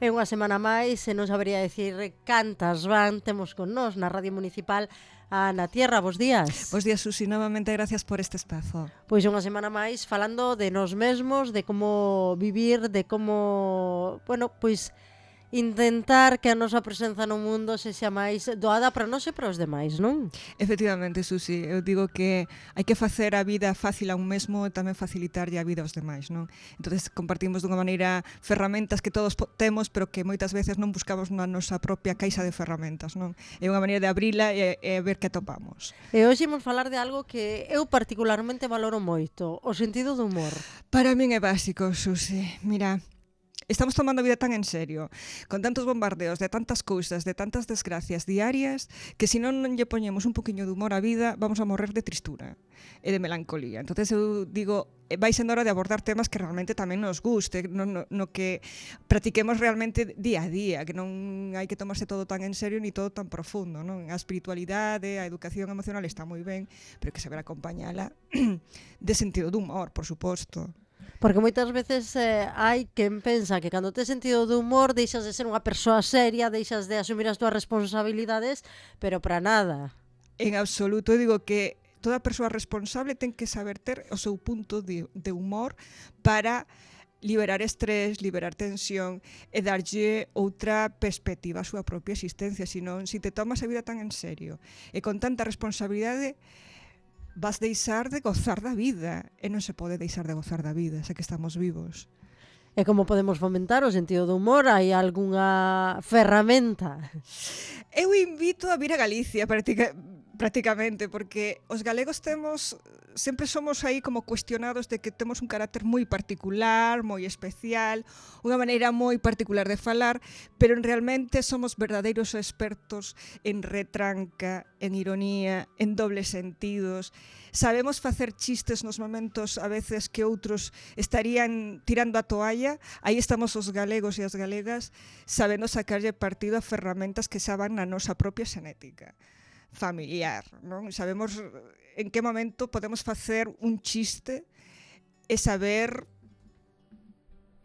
E unha semana máis, e non sabería decir cantas van, temos con nós na Radio Municipal a Ana Tierra. Bos días. Bos días, Susi, novamente gracias por este espazo. Pois unha semana máis falando de nós mesmos, de como vivir, de como, bueno, pois intentar que a nosa presenza no mundo sexa máis doada para nós e para os demais, non? Efectivamente, Susi, eu digo que hai que facer a vida fácil a un mesmo e tamén facilitarlle a vida aos demais, non? Entonces compartimos dunha maneira ferramentas que todos temos, pero que moitas veces non buscamos na nosa propia caixa de ferramentas, non? É unha maneira de abrila e ver que atopamos. E hoxe imos falar de algo que eu particularmente valoro moito, o sentido do humor. Para min é básico, Susi. Mira, estamos tomando a vida tan en serio, con tantos bombardeos de tantas cousas, de tantas desgracias diarias, que se non lle poñemos un poquinho de humor á vida, vamos a morrer de tristura e de melancolía. Entonces eu digo, vai sendo hora de abordar temas que realmente tamén nos guste, no que practiquemos realmente día a día, que non hai que tomarse todo tan en serio ni todo tan profundo, non? A espiritualidade, a educación emocional está moi ben, pero que saber acompañala de sentido de humor, por suposto. Porque moitas veces hai quen pensa que cando tes sentido de humor deixas de ser unha persoa seria, deixas de asumir as túas responsabilidades, pero para nada. En absoluto, eu digo que toda persoa responsable ten que saber ter o seu punto de humor para liberar estrés, liberar tensión e darlle outra perspectiva á súa propia existencia. Senón, se te tomas a vida tan en serio e con tanta responsabilidade, vas deixar de gozar da vida, e non se pode deixar de gozar da vida, xa que estamos vivos. E como podemos fomentar o sentido do humor? Hai algunha ferramenta? Eu invito a vir a Galicia prácticamente, porque os galegos sempre somos aí como cuestionados de que temos un carácter moi particular, moi especial, unha maneira moi particular de falar, pero realmente somos verdadeiros expertos en retranca, en ironía, en dobles sentidos. Sabemos facer chistes nos momentos a veces que outros estarían tirando a toalla. Aí estamos os galegos e as galegas sabendo sacarlle partido a ferramentas que xa van na nosa propia xenética familiar, non? Sabemos en que momento podemos facer un chiste e saber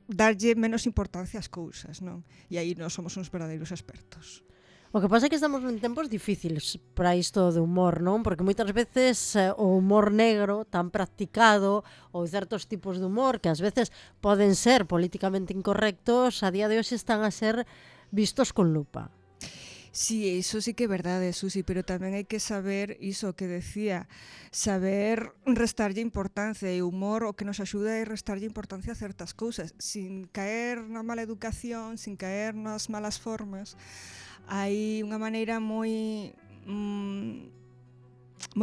darlle menos importancia ás cousas, non? E aí nós somos uns verdadeiros expertos. O que pasa é que estamos en tempos difíciles para isto de humor, non? Porque moitas veces o humor negro tan practicado ou certos tipos de humor que ás veces poden ser políticamente incorrectos, a día de hoxe están a ser vistos con lupa. Sí, iso sí que é verdade, Susi, pero tamén hai que saber iso que decía, saber restarlle importancia, e o humor o que nos axuda é restarlle importancia a certas cousas, sin caer na mala educación, sin caer nas malas formas. Hai unha maneira moi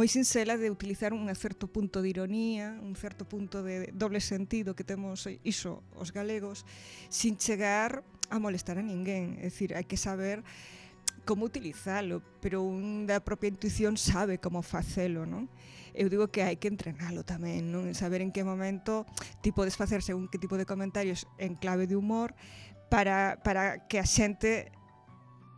sinxela de utilizar un certo punto de ironía, un certo punto de doble sentido que temos iso os galegos, sin chegar a molestar a ninguén. É dicir, hai que saber como utilizalo, pero un da propia intuición sabe como facelo, non? Eu digo que hai que entrenalo tamén, non? Saber en que momento ti podes facer según que tipo de comentarios en clave de humor para que a xente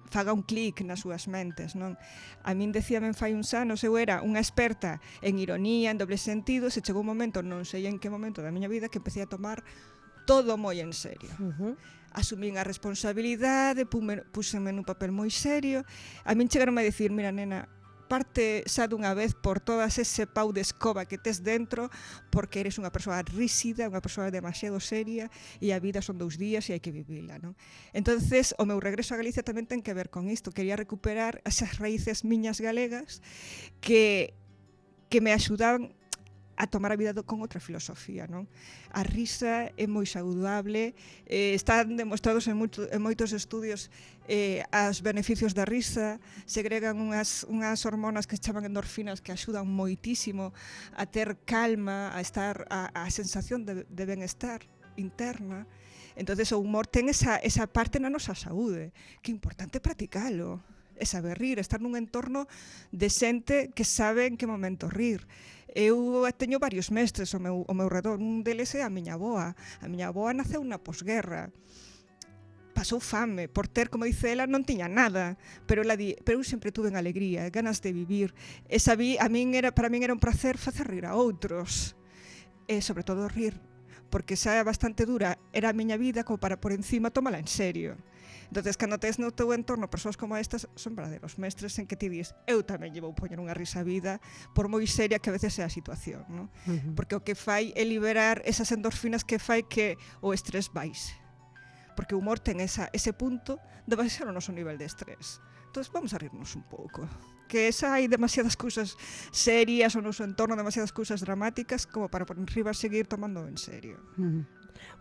faga un clic nas súas mentes, non? A min decíame fai uns anos, eu era unha experta en ironía, en doble sentido, se chegou un momento, non sei en que momento da miña vida, que empecé a tomar todo moi en serio. Asumín a responsabilidade, púseme nun papel moi serio. A min chegaron a dicir, mira, nena, parte xa dunha vez por todas ese pau de escoba que tes dentro, porque eres unha persoa rígida, unha persoa demasiado seria, e a vida son 2 días e hai que vivila, non? Entonces, o meu regreso a Galicia tamén ten que ver con isto. Quería recuperar esas raíces miñas galegas que me axudaban a tomar a vida con outra filosofía, non? A risa é moi saudable, están demostrados en moitos estudios os beneficios da risa, segregan unhas hormonas que se chaman endorfinas que axudan moitísimo a ter calma, a estar a sensación de benestar interna. Entonces o humor ten esa parte na nosa saúde, que é importante practicalo, é saber rir, estar nun entorno de xente que sabe en que momento rir. Eu teño varios mestres ao meu redor, un deles é a miña avoa. A miña avoa naceu na posguerra, pasou fame, por ter, como dice ela, non tiña nada, pero ela pero eu sempre tuve alegría, ganas de vivir, e para min era un placer facer rir a outros, e sobre todo rir, porque xa é bastante dura era a miña vida como para por encima tomala en serio. Entonces, cando tes no teu entorno persoas como estas, son verdadeiros mestres en que ti dis, eu tamén lle vou poñer unha risa a vida, por moi seria que a veces é a situación, non? Porque o que fai é liberar esas endorfinas que fai que o estrés baixe. Porque o humor ten ese punto de baixar o noso nivel de estrés. Entón, vamos a rirnos un pouco. Que esa hai demasiadas cousas serias o noso entorno, demasiadas cousas dramáticas como para por enriba seguir tomando en serio.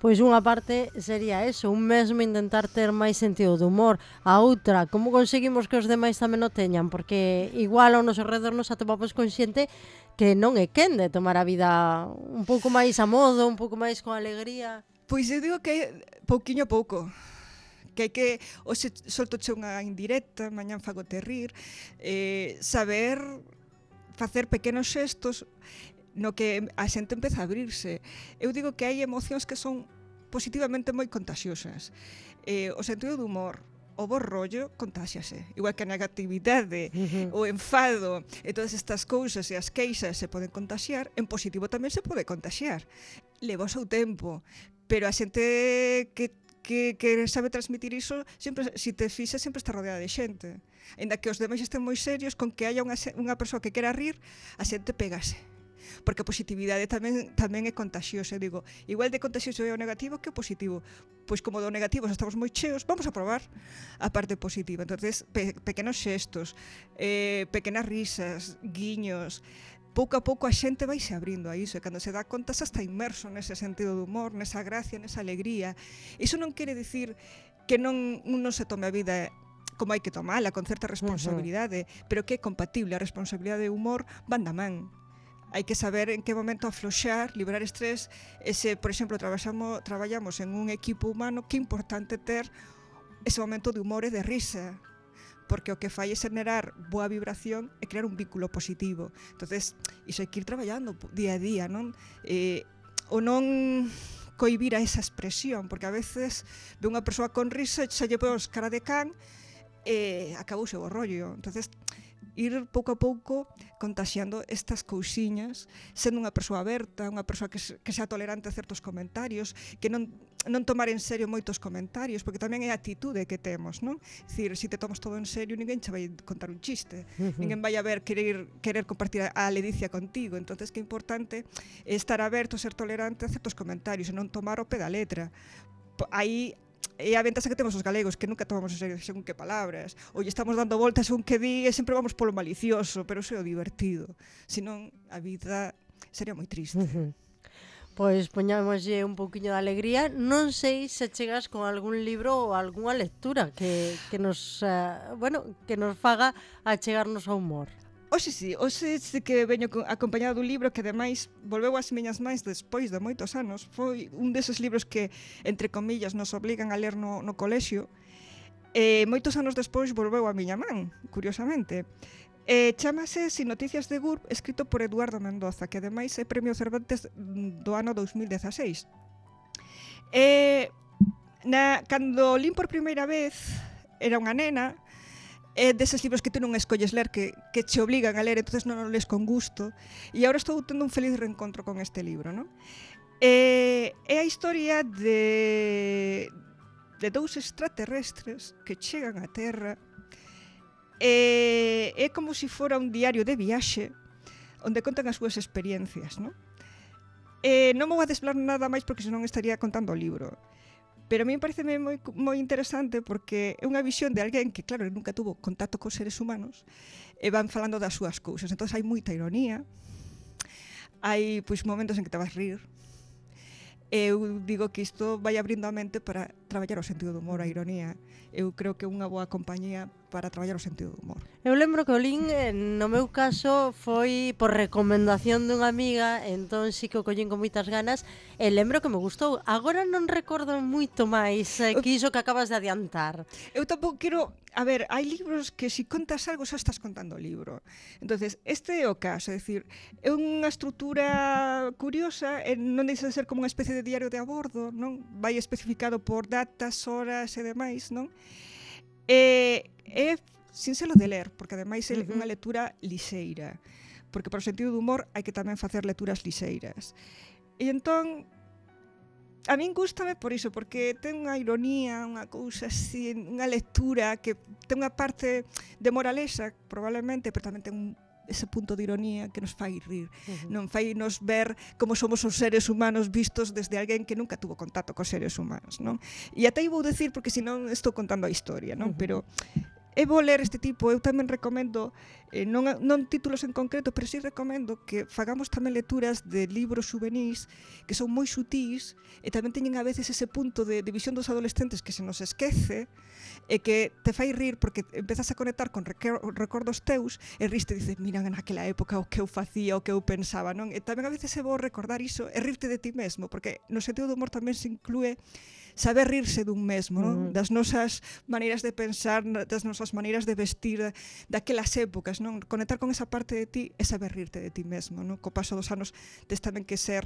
Pois unha parte sería eso, un mesmo intentar ter máis sentido do humor. A outra, como conseguimos que os demais tamén o teñan? Porque igual ao noso redor nos atopamos con xente que non é quen de tomar a vida un pouco máis a modo, un pouco máis con alegría. Pois eu digo que pouquiño a pouco. Que hai que, hoxe soltoche unha indirecta, mañán fagote rir, saber facer pequenos xestos no que a xente empeza a abrirse. Eu digo que hai emocións que son positivamente moi contaxiosas. O sentido do humor, o bo rollo, contáxiase. Igual que a negatividade, o enfado e todas estas cousas e as queixas se poden contaxiar, en positivo tamén se pode contaxiar. Leva o seu tempo, pero a xente que sabe transmitir iso, sempre, se te fixas, sempre está rodeada de xente. Ainda que os demais estén moi serios, con que haya unha persoa que quera rir, a xente pégase. Porque a positividade tamén é contagiosa. Digo, igual de contagioso é o negativo que o positivo. Pois como do negativo estamos moi cheos, vamos a probar a parte positiva. Entonces, pequenos xestos, pequenas risas, guiños. Pouco a pouco a xente vaise abrindo a iso, e cando se dá conta xa está inmerso nese sentido do humor, nesa gracia, nesa alegría. Iso non quere dicir que non se tome a vida como hai que tomala, con certa responsabilidade, pero que é compatible. A responsabilidade e o humor van da man. Hai que saber en que momento afloxar, liberar estrés. Por exemplo, traballamos en un equipo humano, que é importante ter ese momento de humor e de risa, porque o que fai é generar boa vibración e crear un vínculo positivo. Entonces, iso hai que ir traballando día a día, non? O non cohibir a esa expresión, porque a veces ve unha persoa con risa e xa lle pos cara de can e acabouse o rollo. Entonces, ir pouco a pouco contaxiando estas cousiñas, sendo unha persoa aberta, unha persoa que xa tolerante a certos comentarios, que non tomar en serio moitos comentarios, porque tamén é a atitude que temos, non? Dicir, se te tomas todo en serio, ninguén che vai contar un chiste, ninguén vai a ver querer compartir a ledicia contigo. Entonces, que é importante estar aberto, ser tolerante a certos comentarios e non tomar o pé da letra. Aí é a ventaxa que temos os galegos, que nunca tomamos en serio según que palabras, ou estamos dando voltas según que di e sempre vamos polo malicioso, pero iso é o divertido. Senón, a vida sería moi triste. Pois poñámoslle un pouquiño de alegría. Non sei se chegas con algún libro ou algunha lectura que nos faga achegarnos ao humor. Oxe sí que veño acompañado dun libro que ademais volveu ás miñas mans despois de moitos anos. Foi un deses libros que, entre comillas, nos obligan a ler no colexio. Moitos anos despois volveu a miña man, curiosamente. Chámase Sin noticias de GURB, escrito por Eduardo Mendoza, que ademais é Premio Cervantes do ano 2016. Cando lín por primeira vez, era unha nena, deses libros que tú non escolles ler, que che obligan a ler, entonces non o lees con gusto, e agora estou tendo un feliz reencontro con este libro, non? É a historia de dous extraterrestres que chegan á Terra. É como se fora un diario de viaxe onde contan as súas experiencias, non? Non vou a desvelar nada máis porque senón estaría contando o libro. Pero a mí pareceme moi interesante porque é unha visión de alguén que, claro, nunca tuvo contacto cos seres humanos e van falando das súas cousas. Entón, hai moita ironía, hai momentos en que te vas rir. Eu digo que isto vai abrindo a mente para traballar o sentido do humor, a ironía. Eu creo que é unha boa compañía para traballar o sentido do humor. Eu lembro que o lin, no meu caso, foi por recomendación dunha amiga, entón sí que o collín con moitas ganas, e lembro que me gustou. Agora non recordo moito máis que iso que acabas de adiantar. Eu tampouco quero... A ver, hai libros que se contas algo xa estás contando o libro. Entonces, este é o caso, é dicir, é unha estrutura curiosa, non deixa de ser como unha especie de diario de a bordo, non? Vai especificado por datas, horas e demais, non? É sinxelo de ler, porque ademais é unha lectura lixeira, porque para o sentido do humor hai que tamén facer lecturas lixeiras. E entón, A min gústame por iso, porque ten unha ironía, unha cousa así, unha lectura que ten unha parte de moraleza, probablemente, pero tamén ten ese punto de ironía que nos fai rir, non fai nos ver como somos os seres humanos vistos desde alguén que nunca tuvo contacto cos seres humanos, non? E até vou decir, porque senón estou contando a historia, non? Pero é bo ler este tipo, eu tamén recomendo, non títulos en concreto, pero sí recomendo que fagamos tamén lecturas de libros juvenis que son moi sutís e tamén teñen a veces ese punto de visión dos adolescentes que se nos esquece e que te fai rir porque empezas a conectar con recordos teus e riste e dices, mira, naquela época o que eu facía, o que eu pensaba, non? E tamén a veces é bo recordar iso e rirte de ti mesmo, porque no sentido do humor tamén se inclúe saber rirse dun mesmo, non? Das nosas maneiras de pensar, das nosas maneiras de vestir, daquelas épocas, non? Conectar con esa parte de ti e saber rirte de ti mesmo, non? Co paso dos anos tes tamén que ser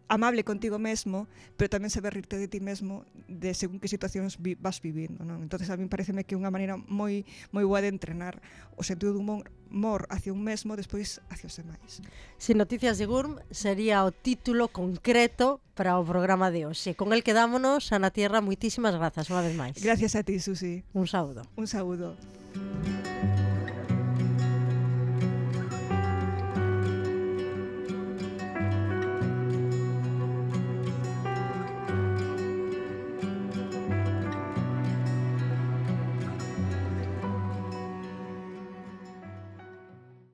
amable contigo mesmo, pero tamén saber rirte de ti mesmo de según que situacións vas vivindo, non? Entonces a mí pareceme que é unha maneira moi boa de entrenar o sentido do humor hacia un mesmo, despois hacia os demais. Sin noticias de Gurm sería o título concreto para o programa de hoxe. Con el quedámonos, Ana Tierra, moitísimas grazas unha vez máis. Gracias a ti, Susi. Un saúdo. Un saúdo.